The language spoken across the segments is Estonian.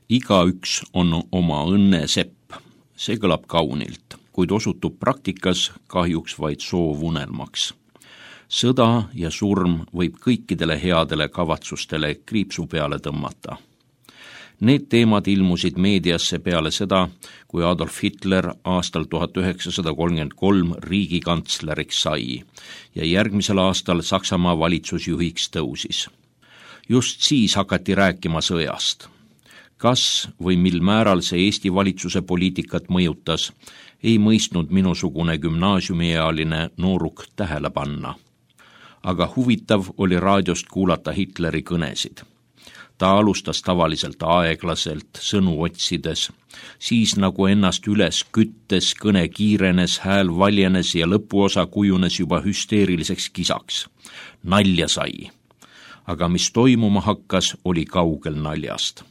Igaüks on oma õnne sepp. See kõlab kaunilt, kuid osutub praktikas kahjuks vaid soovunelmaks. Sõda ja surm võib kõikidele headele kavatsustele kriipsu peale tõmmata. Need teemad ilmusid meediasse peale seda, kui Adolf Hitler aastal 1933 riigikantsleriks sai ja järgmisel aastal Saksamaa valitsusjuhiks tõusis. Just siis hakati rääkima sõjast. Kas või mil määral see Eesti valitsuse poliitikat mõjutas, ei mõistnud minusugune gümnaasiumiealine nooruk tähele panna. Aga huvitav oli raadiost kuulata Hitleri kõnesid. Ta alustas tavaliselt aeglaselt, sõnu otsides, siis nagu ennast üles küttes, kõne kiirenes, hääl valjenes ja lõpuosa kujunes juba hüsteeriliseks kisaks. Nalja sai. Aga mis toimuma hakkas, oli kaugel naljast.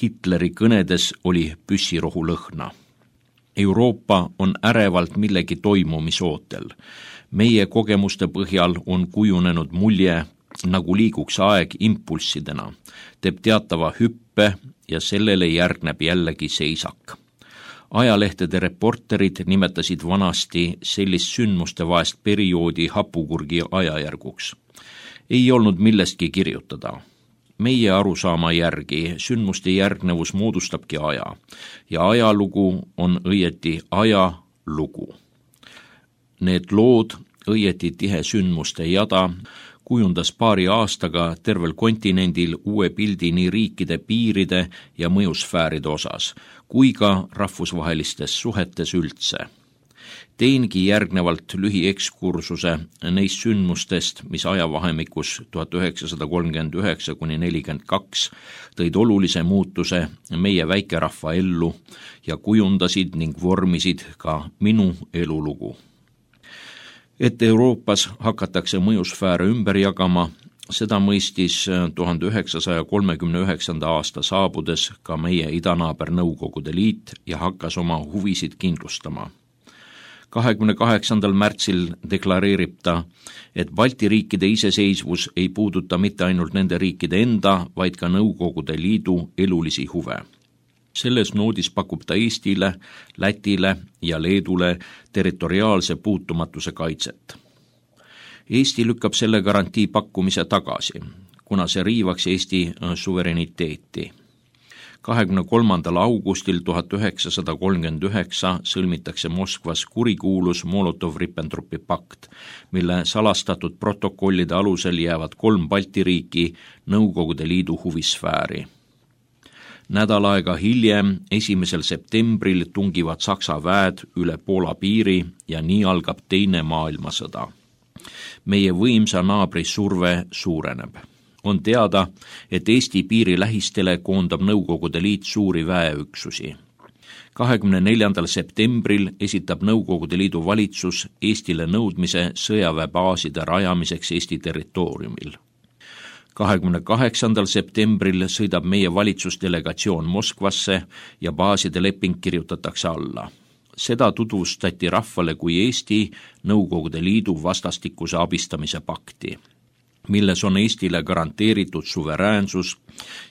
Hitleri kõnedes oli püssirohu lõhna. Euroopa on ärevalt millegi toimumisootel. Meie kogemuste põhjal on kujunenud mulje, nagu liiguks aeg impulssidena, teeb teatava hüppe ja sellele järgneb jällegi seisak. Ajalehtede reporterid nimetasid vanasti sellist sündmuste vaest perioodi hapukurgi ajajärguks. Ei olnud millestki kirjutada. Meie arusaama järgi sündmuste järgnevus moodustabki aja ja ajalugu on õieti ajalugu. Need lood, õieti tihe sündmuste jada, kujundas paari aastaga tervel kontinendil uue pildi nii riikide piiride ja mõjusfääride osas, kui ka rahvusvahelistes suhetes üldse. Teingi järgnevalt lühiekskursuse neist sündmustest, mis ajavahemikus 1939–42 tõid olulise muutuse meie väikerahva ellu ja kujundasid ning vormisid ka minu elulugu. Et Euroopas hakatakse mõjusfääre ümber jagama, seda mõistis 1939. aasta saabudes ka meie idanaaber Nõukogude Liit ja hakkas oma huvisid kindlustama. 28. märtsil deklareerib ta, et Balti riikide iseseisvus ei puuduta mitte ainult nende riikide enda, vaid ka Nõukogude Liidu elulisi huve. Selles noodis pakub ta Eestile, Lätile ja Leedule territoriaalse puutumatuse kaitset. Eesti lükkab selle garantii pakkumise tagasi, kuna see riivaks Eesti suvereniteeti. 23. augustil 1939 sõlmitakse Moskvas kurikuulus Molotov-Ribbentropi pakt, mille salastatud protokollide alusel jäävad 3 Balti riiki Nõukogude Liidu huvisfääri. Nädal aega hiljem, 1. septembril tungivad Saksa väed üle Poola piiri ja nii algab teine maailmasõda. Meie võimsa naabri surve suureneb. On teada, et Eesti piiri lähistele koondab Nõukogude Liit suuri väeüksusi. 24. septembril esitab Nõukogude Liidu valitsus Eestile nõudmise sõjaväebaaside rajamiseks Eesti territooriumil. 28. septembril sõidab meie valitsusdelegatsioon Moskvasse ja baaside leping kirjutatakse alla. Seda tutvustati rahvale kui Eesti Nõukogude Liidu vastastikuse abistamise pakti, milles on Eestile garanteeritud suveräänsus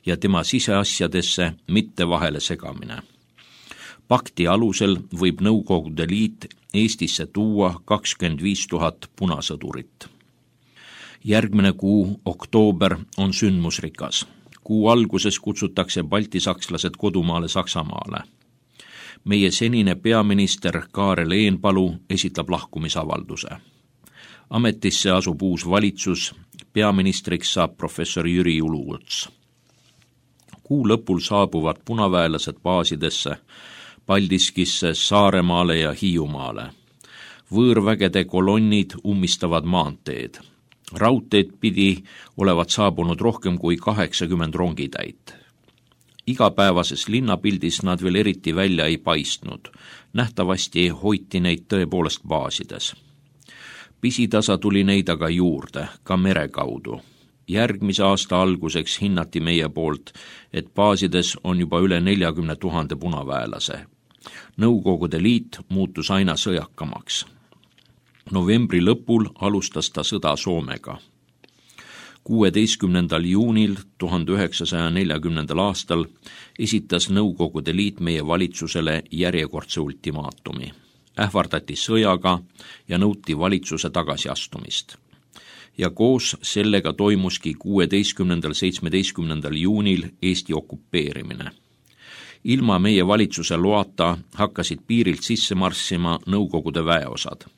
ja tema siseasjadesse mitte vahele segamine. Pakti alusel võib Nõukogude Liit Eestisse tuua 25 000 punasõdurit. Järgmine kuu, oktoober, on sündmusrikas. Kuu alguses kutsutakse baltisakslased kodumaale Saksamaale. Meie senine peaminister Kaarel Eenpalu esitab lahkumisavalduse. Ametisse asub uus valitsus, peaministriks saab professor Jüri Uluots. Kuu lõpul saabuvad punaväelased baasidesse, Paldiskisse, Saaremaale ja Hiiumaale. Võõrvägede kolonnid ummistavad maanteed. Raudteed pidi olevat saabunud rohkem kui 80 rongitäit. Igapäevases linnapildis nad veel eriti välja ei paistnud. Nähtavasti hoiti neid tõepoolest baasides. Pisitasa tuli neid aga juurde, ka mere kaudu. Järgmise aasta alguseks hinnati meie poolt, et baasides on juba üle 40 000 punaväelase. Nõukogude Liit muutus aina sõjakamaks. Novembri lõpul alustas ta sõda Soomega. 16. juunil 1940. aastal esitas Nõukogude Liit meie valitsusele järjekordse ultimaatumi. Ähvardati sõjaga ja nõuti valitsuse tagasiastumist. Ja koos sellega toimuski 16.–17. juunil Eesti okupeerimine. Ilma meie valitsuse loata hakkasid piirilt sisse marssima Nõukogude väeosad.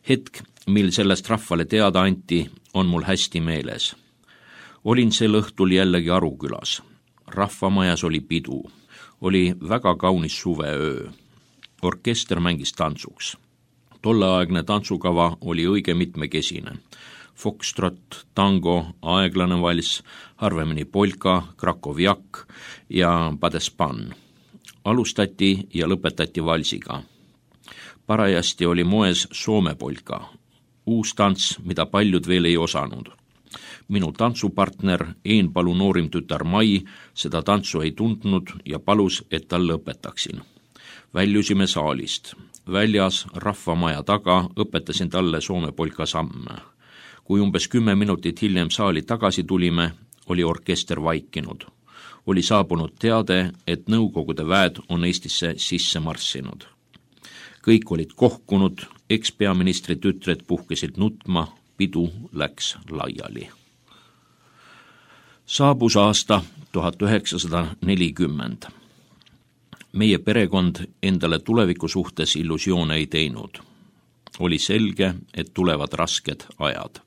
Hetk, mil sellest rahvale teada anti, on mul hästi meeles. Olin sel õhtul jällegi Arukülas. Rahvamajas oli pidu. Oli väga kaunis suveöö. Orkester mängis tantsuks. Tolleaegne tantsukava oli õige mitmekesine. Foxtrot, tango, aeglane valss, harvemini polka, krakovjak ja padespan. Alustati ja lõpetati valsiga. Parajasti oli moes Soome polka. Uus tants, mida paljud veel ei osanud. Minu tantsupartner, Eenpalu noorim tütar Mai, seda tantsu ei tundnud ja palus, et talle õpetaksin. Väljusime saalist. Väljas rahvamaja taga õpetasin talle Soome polka samme. Kui umbes 10 minutit hiljem saali tagasi tulime, oli orkester vaikinud. Oli saabunud teade, et Nõukogude väed on Eestisse sisse marssinud. Kõik olid kohkunud, ekspeaministri tütred puhkesid nutma, pidu läks laiali. Saabus aasta 1940. Meie perekond endale tuleviku suhtes illusioone ei teinud. Oli selge, et tulevad rasked ajad.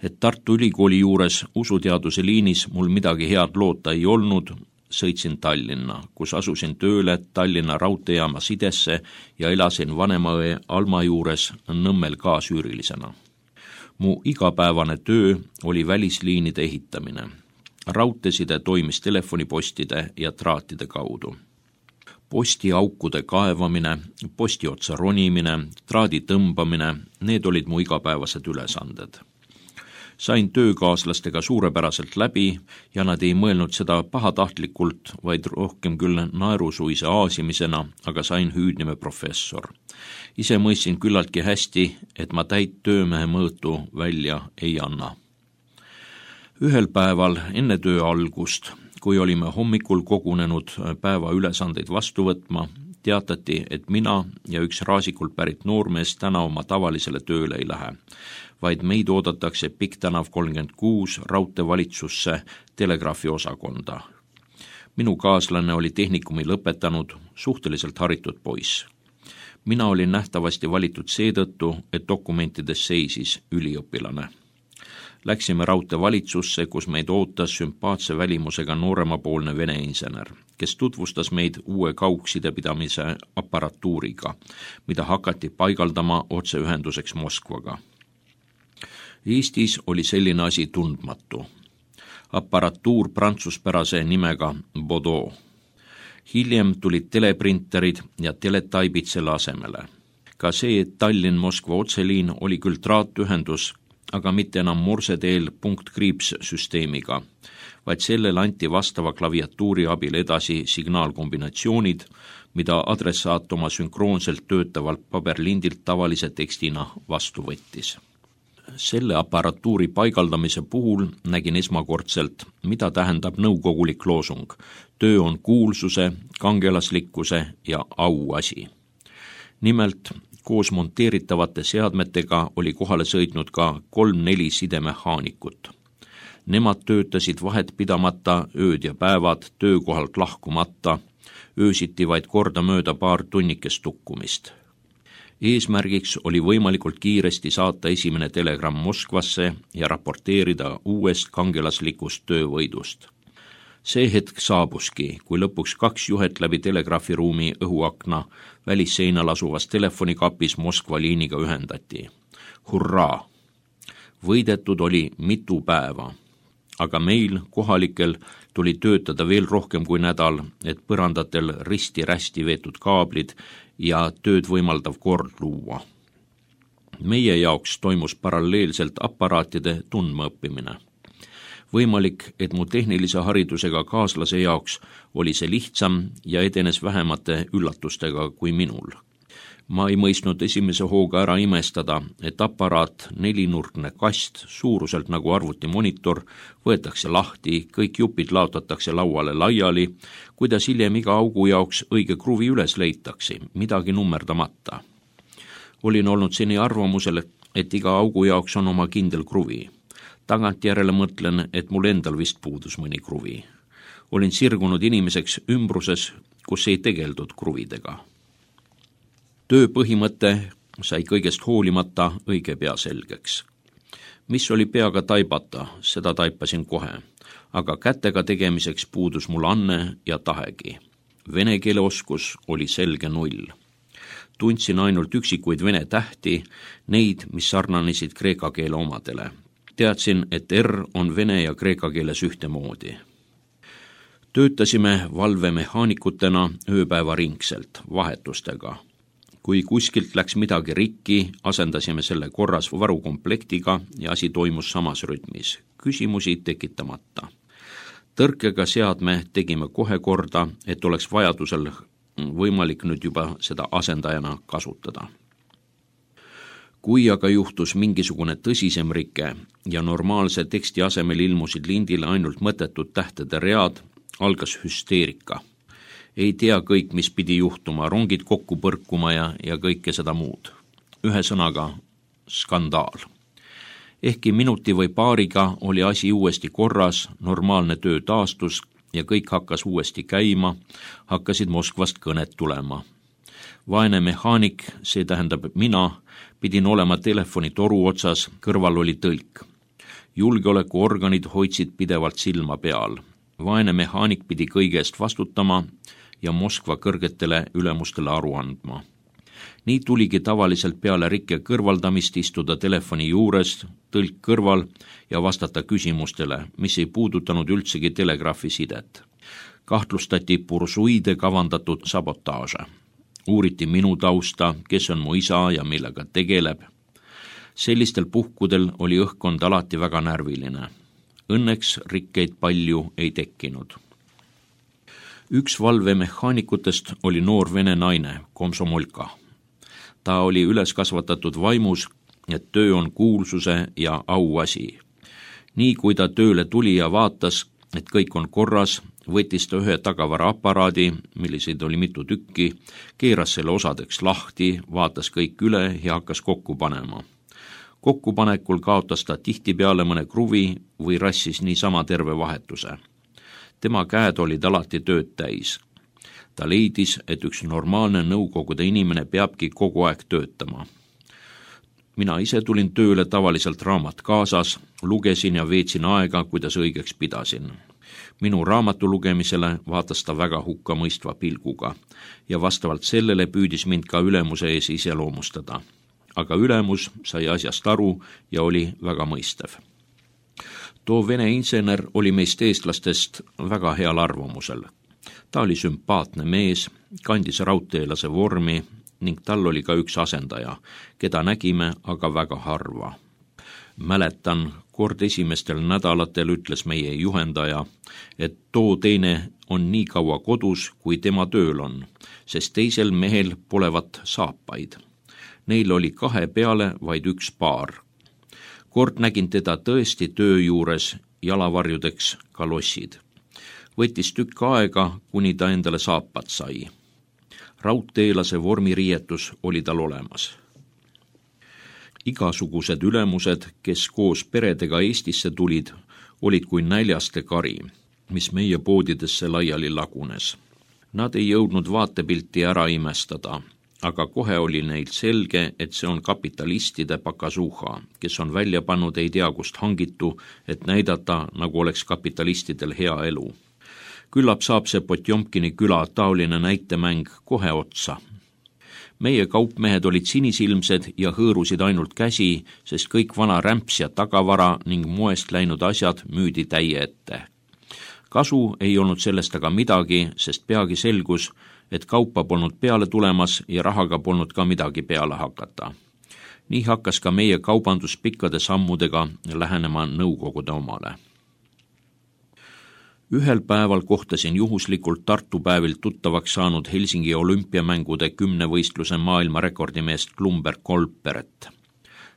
Et Tartu Ülikooli juures usuteaduse liinis mul midagi head loota ei olnud, sõitsin Tallinna, kus asusin tööle Tallinna raudteejaama sidesse ja elasin vanemaõe Alma juures Nõmmel kaasüürilisena. Mu igapäevane töö oli välisliinide ehitamine. Raudteeside toimis telefonipostide ja traatide kaudu. Postiaukude kaevamine, postiotsa ronimine, traadi tõmbamine, need olid mu igapäevased ülesanded. Sain töökaaslastega suurepäraselt läbi ja nad ei mõelnud seda pahatahtlikult, vaid rohkem küll naerusuise aasimisena, aga sain hüüdnime professor. Ise mõistsin küllaltki hästi, et ma täit töömehe mõõtu välja ei anna. Ühel päeval enne töö algust, kui olime hommikul kogunenud päeva ülesandeid vastu võtma, teatati, et mina ja üks Raasikult pärit noormees täna oma tavalisele tööle ei lähe, vaid meid oodatakse Pikktänav 36 raudteevalitsusse telegraafi osakonda. Minu kaaslane oli tehnikumi lõpetanud, suhteliselt haritud poiss. Mina olin nähtavasti valitud seetõttu, et dokumentides seisis üliõpilane. Läksime raudteevalitsusse, kus meid ootas sümpaatse välimusega nooremapoolne vene insener, kes tutvustas meid uue kaugsidepidamise aparatuuriga, mida hakati paigaldama otseühenduseks Moskvaga. Eestis oli selline asi tundmatu. Aparatuur prantsuspärase nimega Baudot. Hiljem tulid teleprinterid ja teletaibid selle asemele. Ka see Tallinn-Moskva otseliin oli küll traatühendus, aga mitte enam morseteel punkt-kriips-süsteemiga, vaid sellele anti vastava klaviatuuri abil edasi signaalkombinatsioonid, mida adressaat oma sünkroonselt töötavalt paberlindilt tavalise tekstina vastu võttis. Selle aparatuuri paigaldamise puhul nägin esmakordselt, mida tähendab nõukogulik loosung. Töö on kuulsuse, kangelaslikkuse ja au asi. Nimelt, koos monteeritavate seadmetega oli kohale sõitnud ka 3-4 sidemehaanikut. Nemad töötasid vahet pidamata ööd ja päevad, töökohalt lahkumata, öösiti vaid korda mööda paar tunnikest tukkumist. Eesmärgiks oli võimalikult kiiresti saata esimene telegramm Moskvasse ja raporteerida uuest kangelaslikust töövõidust. See hetk saabuski, kui lõpuks 2 juhet läbi telegraafiruumi õhuakna välisseinal asuvas telefonikapis Moskva liiniga ühendati. Hurraa! Võidetud oli mitu päeva, aga meil, kohalikel, tuli töötada veel rohkem kui nädal, et põrandatel risti-rästi veetud kaablid ja tööd võimaldav kord luua. Meie jaoks toimus paralleelselt aparaatide tundmaõppimine. Võimalik, et mu tehnilise haridusega kaaslase jaoks oli see lihtsam ja edenes vähemate üllatustega kui minul. Ma ei mõistnud esimese hooga ära imestada, et aparaat, nelinurkne kast, suuruselt nagu arvutimonitor, võetakse lahti, kõik jupid laotatakse lauale laiali, kuidas hiljem iga augu jaoks õige kruvi üles leitakse, midagi nummerdamata. Olin olnud seni arvamusel, et iga augu jaoks on oma kindel kruvi. Tagantjärele mõtlen, et mul endal vist puudus mõni kruvi. Olin sirgunud inimeseks ümbruses, kus ei tegeldud kruvidega. Töö põhimõte sai kõigest hoolimata õige pea selgeks. Mis oli peaga taibata, seda taipasin kohe, aga kätega tegemiseks puudus mul anne ja tahegi. Vene keele oskus oli selge null. Tundsin ainult üksikuid vene tähti, neid, mis sarnanesid kreeka keele omadele. Teadsin, et R on vene ja kreeka keeles ühtemoodi. Töötasime valvemehaanikutena ööpäeva ringselt, vahetustega. Kui kuskilt läks midagi rikki, asendasime selle korras varukomplektiga ja asi toimus samas rütmis, küsimusi tekitamata. Tõrkega seadme tegime kohe korda, et oleks vajadusel võimalik nüüd juba seda asendajana kasutada. Kui aga juhtus mingisugune tõsisem rike ja normaalse teksti asemel ilmusid lindile ainult mõttetud tähtede read, algas hüsteerika. Ei tea kõik, mis pidi juhtuma, rongid kokku põrkuma ja kõike seda muud. Ühesõnaga, skandaal. Ehkki minuti või paariga oli asi uuesti korras, normaalne töö taastus ja kõik hakkas uuesti käima, hakkasid Moskvast kõned tulema. Vaene mehaanik, see tähendab mina, pidin olema telefoni toru otsas, kõrval oli tõlk. Julgeolekuorganid hoidsid pidevalt silma peal. Vaene mehaanik pidi kõigest vastutama ja Moskva kõrgetele ülemustele aru andma. Nii tuligi tavaliselt peale rikke kõrvaldamist istuda telefoni juures, tõlk kõrval ja vastata küsimustele, mis ei puudutanud üldsegi telegraafi sidet. Kahtlustati bursuide kavandatud sabotaaže. Uuriti minu tausta, kes on mu isa ja millega tegeleb. Sellistel puhkudel oli õhkkond alati väga närviline. Õnneks rikkeid palju ei tekkinud. Üks valvemehaanikutest oli noor vene naine, komsomolka. Ta oli üles kasvatatud vaimus, et töö on kuulsuse ja auasi. Nii kui ta tööle tuli ja vaatas, et kõik on korras, võttis ta ühe tagavaraaparaadi, milliseid oli mitu tükki, keeras selle osadeks lahti, vaatas kõik üle ja hakkas kokku panema. Kokkupanekul kaotas ta tihtipeale mõne kruvi või rassis niisama terve vahetuse. Tema käed olid alati tööd täis. Ta leidis, et üks normaalne nõukogude inimene peabki kogu aeg töötama. Mina ise tulin tööle tavaliselt raamat kaasas, lugesin ja veetsin aega, kuidas õigeks pidasin. Minu raamatu lugemisele vaatas ta väga hukkamõistva pilguga ja vastavalt sellele püüdis mind ka ülemuse ees iseloomustada. Aga ülemus sai asjast aru ja oli väga mõistev. Too vene insener oli meist eestlastest väga heal arvamusel. Ta oli sümpaatne mees, kandis raudteelase vormi ning tal oli ka üks asendaja, keda nägime aga väga harva. Mäletan, kord esimestel nädalatel ütles meie juhendaja, et too teine on nii kaua kodus, kui tema tööl on, sest teisel mehel polevat saapaid. Neil oli 2 peale vaid 1 paar. Kord nägin teda tõesti töö juures jalavarjudeks kalossid. Võttis tükk aega, kuni ta endale saapad sai. Raudteelase vormiriietus oli tal olemas. Igasugused ülemused, kes koos peredega Eestisse tulid, olid kui näljaste kari, mis meie poodidesse laiali lagunes. Nad ei jõudnud vaatepilti ära imestada, aga kohe oli neil selge, et see on kapitalistide pakasuha, kes on välja pannud ei tea kust hangitu, et näidata, nagu oleks kapitalistidel hea elu. Küllap saab see Potjomkini küla taoline näitemäng kohe otsa. Meie kaupmehed olid sinisilmsed ja hõõrusid ainult käsi, sest kõik vana rämps ja tagavara ning moest läinud asjad müüdi täie ette. Kasu ei olnud sellest aga midagi, sest peagi selgus, et kaupa polnud peale tulemas ja rahaga polnud ka midagi peale hakata. Nii hakkas ka meie kaubandus pikkade sammudega lähenema nõukogude omale. Ühel päeval kohtasin juhuslikult Tartu päevil tuttavaks saanud Helsingi olümpiamängude 10 võistluse maailmarekordimeest Klumberg Kolperet.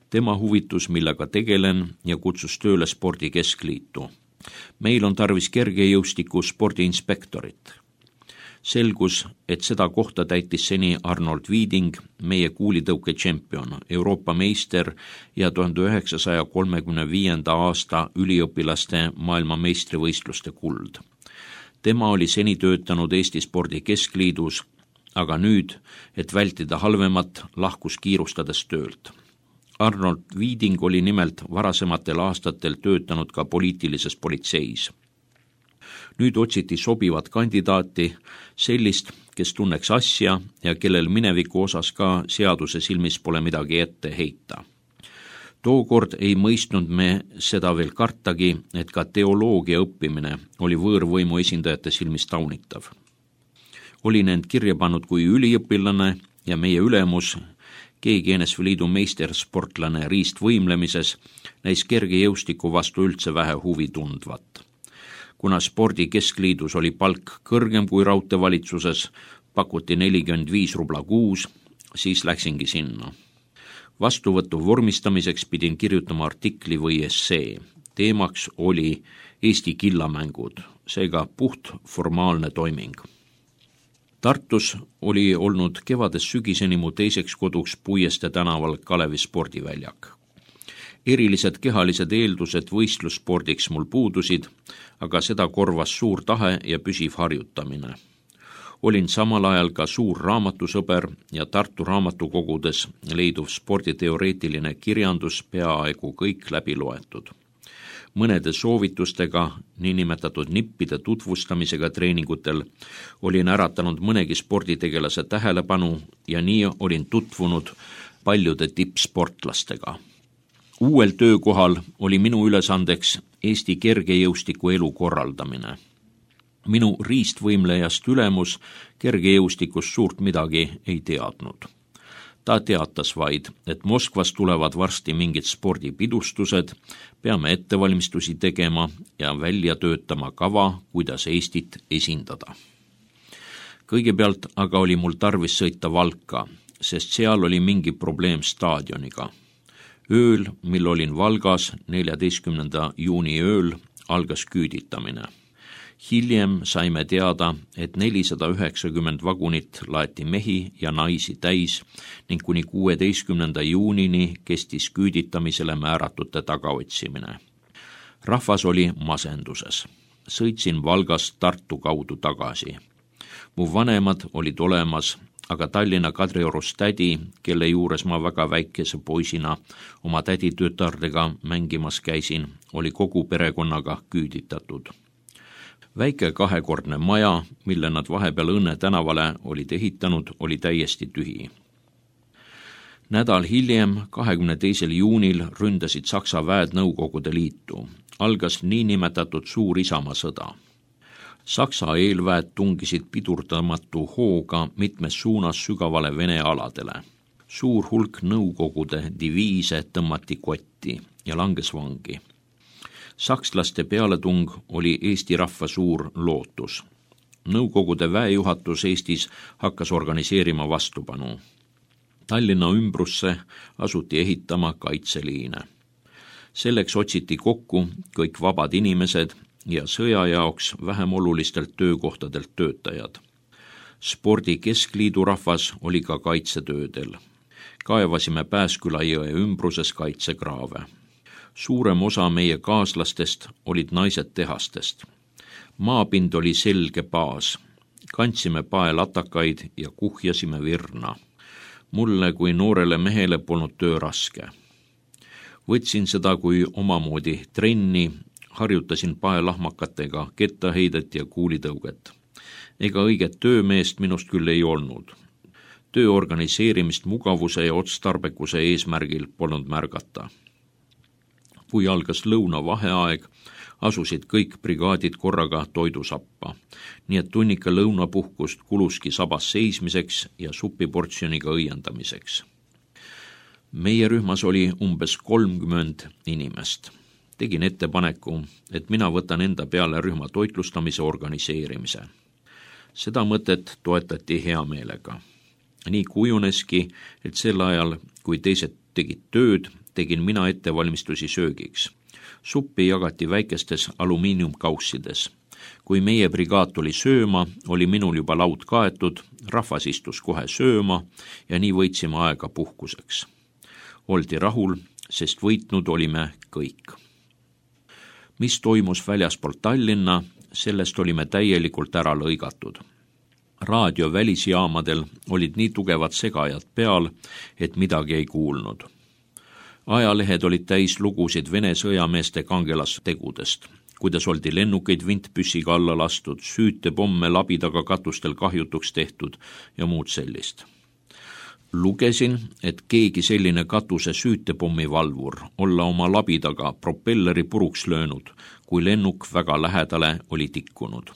Tema huvitus, millega tegelen ja kutsus tööle spordikeskliitu. Meil on tarvis kergejõustiku spordiinspektorit. Selgus, et seda kohta täitis seni Arnold Viiding, meie kuulitõuke tšempion, Euroopa meister ja 1935. aasta üliõpilaste maailmameistrivõistluste kuld. Tema oli seni töötanud Eesti spordikeskliidus, aga nüüd, et vältida halvemat, lahkus kiirustades töölt. Arnold Viiding oli nimelt varasematel aastatel töötanud ka poliitilises politseis. Nüüd otsiti sobivat kandidaati, sellist, kes tunneks asja ja kellel mineviku osas ka seaduse silmis pole midagi ette heita. Tookord ei mõistnud me seda veel kartagi, et ka teoloogia õppimine oli võõrvõimu esindajate silmis taunitav. Olin end kirja pannud kui üliõpilane ja meie ülemus, GNSV Liidu meistersportlane riistvõimlemises, näis kergejõustiku vastu üldse vähe huvi tundvat. Kuna spordikeskliidus oli palk kõrgem kui raudteevalitsuses, pakuti 45 rubla kuus, siis läksingi sinna. Vastuvõtu vormistamiseks pidin kirjutama artikli või essee. Teemaks oli Eesti killamängud, seega puht formaalne toiming. Tartus oli olnud kevadest sügiseni mu teiseks koduks Puieste tänaval Kalevi spordiväljak. Erilised kehalised eeldused võistlusspordiks mul puudusid, aga seda korvas suur tahe ja püsiv harjutamine. Olin samal ajal ka suur raamatusõber ja Tartu raamatukogudes leiduv sporditeoreetiline kirjandus peaaegu kõik läbi loetud. Mõnede soovitustega, niinimetatud nippide tutvustamisega treeningutel, olin äratanud mõnegi sporditegelase tähelepanu ja nii olin tutvunud paljude tippsportlastega. Uuel töökohal oli minu ülesandeks Eesti kergejõustiku elu korraldamine. Minu riistvõimlejast ülemus kergejõustikust suurt midagi ei teadnud. Ta teatas vaid, et Moskvas tulevad varsti mingid spordipidustused, peame ettevalmistusi tegema ja välja töötama kava, kuidas Eestit esindada. Kõigepealt aga oli mul tarvis sõita Valka, sest seal oli mingi probleem staadioniga. Ööl, mil olin Valgas 14. juuni ööl, algas küüditamine. Hiljem saime teada, et 490 vagunit laeti mehi ja naisi täis ning kuni 16. juunini kestis küüditamisele määratute tagaotsimine. Rahvas oli masenduses. Sõitsin Valgast Tartu kaudu tagasi. Mu vanemad olid olemas, aga Tallinna Kadriorus tädi, kelle juures ma väga väikese poisina oma täditütardega mängimas käisin, oli kogu perekonnaga küüditatud. Väike kahekordne maja, mille nad vahepeal Õnne tänavale olid ehitanud, oli täiesti tühi. Nädal hiljem, 22. juunil, ründasid Saksa väed Nõukogude Liitu. Algas niinimetatud suur Isamaasõda. Saksa eelväed tungisid pidurdamatu hooga mitmes suunas sügavale Vene aladele. Suur hulk Nõukogude diviise tõmmati kotti ja langes vangi. Sakslaste pealetung oli Eesti rahva suur lootus. Nõukogude väejuhatus Eestis hakkas organiseerima vastupanu. Tallinna ümbrusse asuti ehitama kaitseliine. Selleks otsiti kokku kõik vabad inimesed ja sõja jaoks vähem olulistelt töökohtadelt töötajad. Spordikeskliidu rahvas oli ka kaitsetöödel. Kaevasime Pääsküla jõe ümbruses kaitsekraave. Suurem osa meie kaaslastest olid naised tehastest. Maapind oli selge baas. Kandsime paelatakaid ja kuhjasime virna. Mulle kui noorele mehele polnud töö raske. Võtsin seda kui omamoodi trenni, harjutasin paelahmakatega kettaheidet ja kuulitõuget. Ega õiget töömeest minust küll ei olnud. Töö organiseerimist mugavuse ja otstarbekuse eesmärgil polnud märgata. Kui algas lõunavaheaeg, asusid kõik brigaadid korraga toidusappa, nii et tunnika lõunapuhkust kuluski sabas seismiseks ja supiportsjoniga õiendamiseks. Meie rühmas oli umbes 30 inimest. tegin ettepaneku, et mina võtan enda peale rühma toitlustamise organiseerimise. Seda mõtet toetati hea meelega. Nii kujuneski, et sel ajal, kui teised tegid tööd, tegin mina ettevalmistusi söögiks. Suppi jagati väikestes alumiiniumkaussides. Kui meie brigaad tuli sööma, oli minul juba laud kaetud, rahvas istus kohe sööma ja nii võitsime aega puhkuseks. Oldi rahul, sest võitnud olime kõik. Mis toimus väljaspool Tallinna, sellest olime täielikult ära lõigatud. Raadio välisjaamadel olid nii tugevad segajad peal, et midagi ei kuulnud. Ajalehed olid täis lugusid Vene sõjameeste kangelastegudest, kuidas oldi lennukeid vintpüssiga alla lastud, süütepomme labidaga katustel kahjutuks tehtud ja muud sellist. Lugesin, et keegi selline katuse süütepommi valvur olla oma labidaga propelleri puruks löönud, kui lennuk väga lähedale oli tikkunud.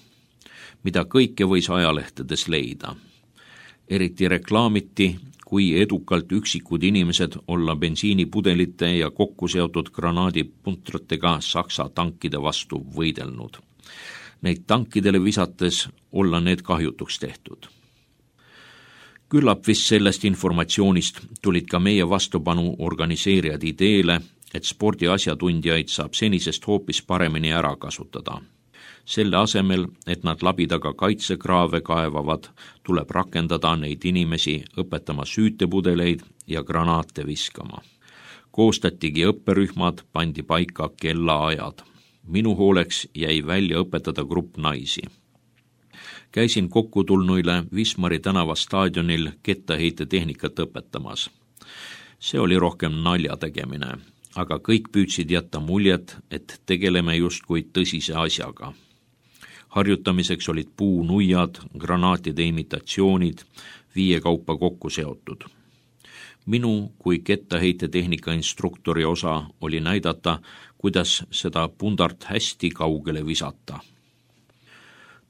Mida kõike võis ajalehtedes leida. Eriti reklaamiti, kui edukalt üksikud inimesed olla bensiinipudelite ja kokku seotud granaadipuntratega Saksa tankide vastu võidelnud. Neid tankidele visates olla need kahjutuks tehtud. Küllap vist sellest informatsioonist tulid ka meie vastupanu organiseerijad ideele, et spordiasjatundjaid saab senisest hoopis paremini ära kasutada. Selle asemel, et nad labidaga kaitsekraave kaevavad, tuleb rakendada neid inimesi õpetama süütepudeleid ja granaate viskama. Koostatigi õpperühmad, pandi paika kellaajad. Minu hooleks jäi välja õpetada grupp naisi. Käisin kokkutulnuile Wismari tänava staadionil kettaheitetehnikat õpetamas. See oli rohkem nalja tegemine, aga kõik püüdsid jätta muljet, et tegeleme justkui tõsise asjaga. Harjutamiseks olid puunuiad, granaatide imitatsioonid, 5 kaupa kokku seotud. Minu kui kettaheitetehnika instruktori osa oli näidata, kuidas seda pundart hästi kaugele visata.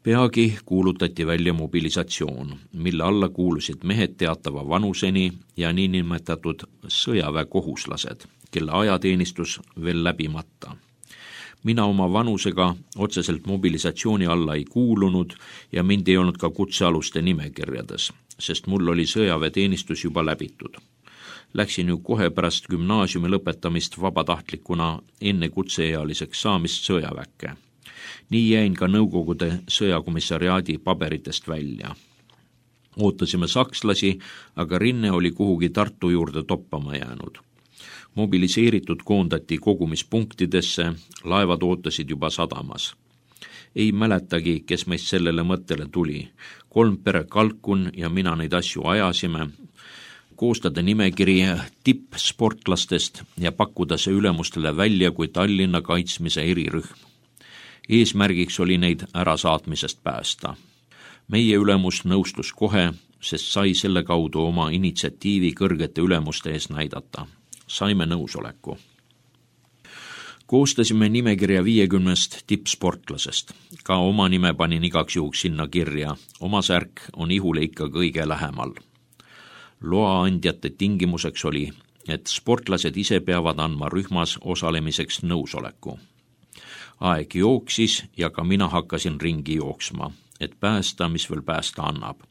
Peagi kuulutati välja mobilisatsioon, mille alla kuulusid mehed teatava vanuseni ja niinimetatud sõjaväekohuslased, kelle ajateenistus veel läbimata. Mina oma vanusega otseselt mobilisatsiooni alla ei kuulunud ja mind ei olnud ka kutsealuste nimekirjades, sest mul oli sõjaväeteenistus juba läbitud. Läksin ju kohe pärast gümnaasiumi lõpetamist vabatahtlikuna enne kutseealiseks saamist sõjaväkke. Nii jäin ka Nõukogude sõjakomissariaadi paberitest välja. Ootasime sakslasi, aga rinne oli kuhugi Tartu juurde toppama jäänud. Mobiliseeritud koondati kogumispunktidesse, laevad ootasid juba sadamas. Ei mäletagi, kes meist sellele mõttele tuli. 3 pere kalkun ja mina neid asju ajasime, koostada nimekiri tippsportlastest ja pakkuda see ülemustele välja kui Tallinna kaitsmise erirühm. Eesmärgiks oli neid ärasaatmisest päästa. Meie ülemus nõustus kohe, sest sai selle kaudu oma initsiatiivi kõrgete ülemuste ees näidata. Saime nõusoleku. Koostasime nimekirja 50 tippsportlasest. Ka oma nime panin igaks juhuks sinna kirja. Oma särk on ihule ikka kõige lähemal. Loa andjate tingimuseks oli, et sportlased ise peavad andma rühmas osalemiseks nõusoleku. Aeg jooksis ja ka mina hakkasin ringi jooksma, et päästa, mis veel päästa annab,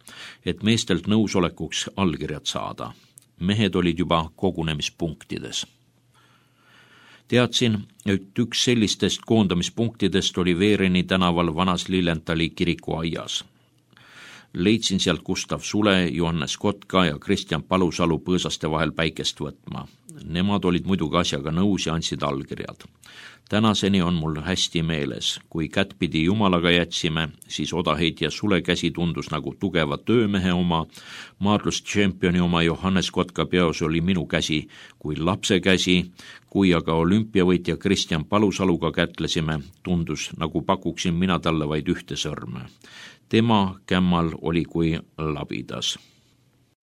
et meestelt nõusolekuks allkirjad saada. Mehed olid juba kogunemispunktides. Teadsin, et üks sellistest koondamispunktidest oli Veereni tänaval Vanas Lillentali kirikuaias. Leidsin sealt Gustav Sule, Johannes Kotka ja Kristjan Palusalu põõsaste vahel päikest võtma. Nemad olid muidugi asjaga nõus ja andsid allkirjad. Tänaseni on mul hästi meeles, kui kättpidi Jumalaga jätsime, siis odaheitja Sule käsi tundus nagu tugeva töömehe oma, maadlustšempioni oma Johannes Kotka peos oli minu käsi kui lapse käsi, kui aga olümpiavõitja Kristjan Palusaluga kätlesime, tundus nagu pakuksin mina talle vaid ühte sõrme. Tema kämmal oli kui labidas.